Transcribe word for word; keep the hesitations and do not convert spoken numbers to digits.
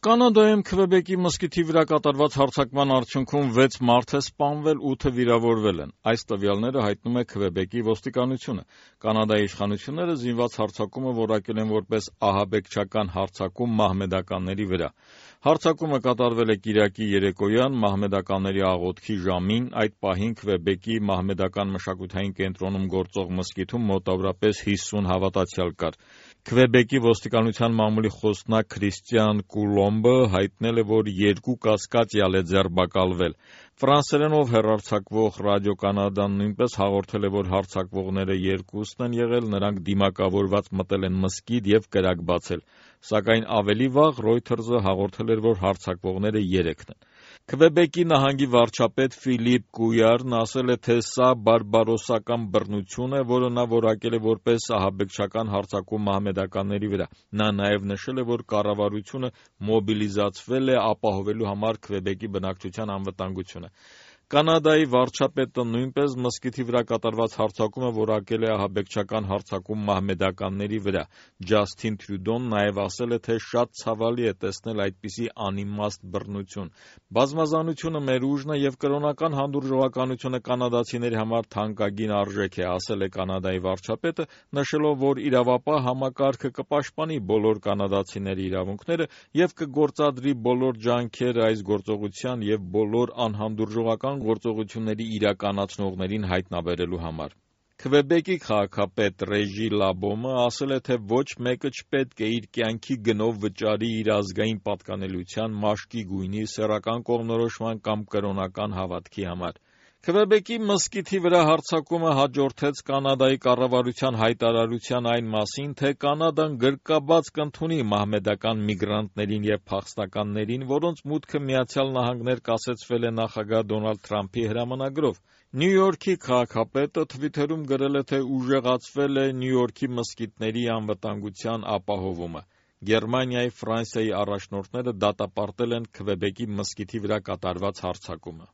Կանադայում Քվեբեկի մզկիթի վրա կատարված հարձակման արդյունքում վեց մարդ է սպանվել, ութը վիրավորվել են։ Այս տվյալները հայտնում է Քվեբեկի ոստիկանությունը։ Կանադայի իշխանությունները զինված հարձակումը որակել են որպես ահաբեկչական հարձակում մահմեդականների վրա։ Հարձակումը կատարվել է կիրակի երեկոյան մահմեդականների աղոթքի ժամին, այդ պահին Քվեբեկի մահմեդական մշակութային կենտրոնում գործող մզկիթում մոտավորապես հիսուն հավատացյալ կար։ Քվեբեկի ոստիկանության մամուլի խոսնակ Քրիստիան Կուլոմբը հայտնել է, որ երկու կասկածյալ է ձերբակալվել։ Ֆրանսերենով հեռարձակվող Ռադիո Կանադան նույնպես հաղորդել է, որ հարձակվողները երկուսն են եղել, նրանք դիմակավորված մտել են մզկիթ և կրակ բացել, սակայն ավելի վաղ Ռոյթերզը հաղորդել էր, որ հարձակվողները երեքն են։ Քվեբեկի նահանգի վարչապետ Ֆիլիպ Կույարն ասել է, թե սա բարբարոսական բռնություն է, որը նա որակել է որպես ահաբեկչական հարձակում մահմեդականների վրա։ Նա նաև նշել է, որ կառավարությունը մոբիլիզացվել է ապահովելու համար Քվեբեկի բնակչության անվտանգությունը։ Կանադայի վարչապետը նույնպես մզկիթի վրա կատարված հարձակումը որակել է ահաբեկչական հարձակում մահմեդականների վրա։ Ջասթին Թրյուդոն նաև ասել է, թե շատ ցավալի է տեսնել այդպիսի անիմաստ բռնություն։ Բազմազանությունը մեր ուժն է և կրոնական հանդուրժողականությունը կանադացիների համար թանկագին արժեք է, ասել է Կանադայի վարչապետը, նշելով, որ իրավապահ համակարգը կպաշտպանի բոլոր կանադացիների իրավունքները և կգործադրի բոլոր ջանքերը այս գործողության և բոլոր անհանդուրժողական գործողությունների իրականացնողներին հայտնաբերելու համար։ Քվեբեկի քաղաքապետ Ռեժի Լաբոմը ասել է, թե ոչ մեկը չպետք է իր կյանքի գնով վճարի իր ազգային պատկանելիության, մաշկի գույնի, սեռական կողմնորոշման կամ կրոնական հավատքի համար։ Քվեբեկի մզկիթի վրա հարձակումը հաջորդեց Կանադայի կառավարության հայտարարության այն մասին, թե Կանադան գրկաբաց կընդունի մահմեդական միգրանտներին և փախստականներին, որոնց մուտքը Միացյալ Նահանգներ կասեցվել է նախագահ Դոնալդ Թրամփի հրամանագրով։ Նյու Յորքի քաղաքապետը թվիթերում գրել է, թե ուժեղացվել է Նյու Յորքի մզկիթների անվտանգության ապահովումը։ Գերմանիայի, Ֆրանսիայի առաջնորդները դատապարտել են Քվեբեկի մզկիթի վրա կատարված հարձակումը։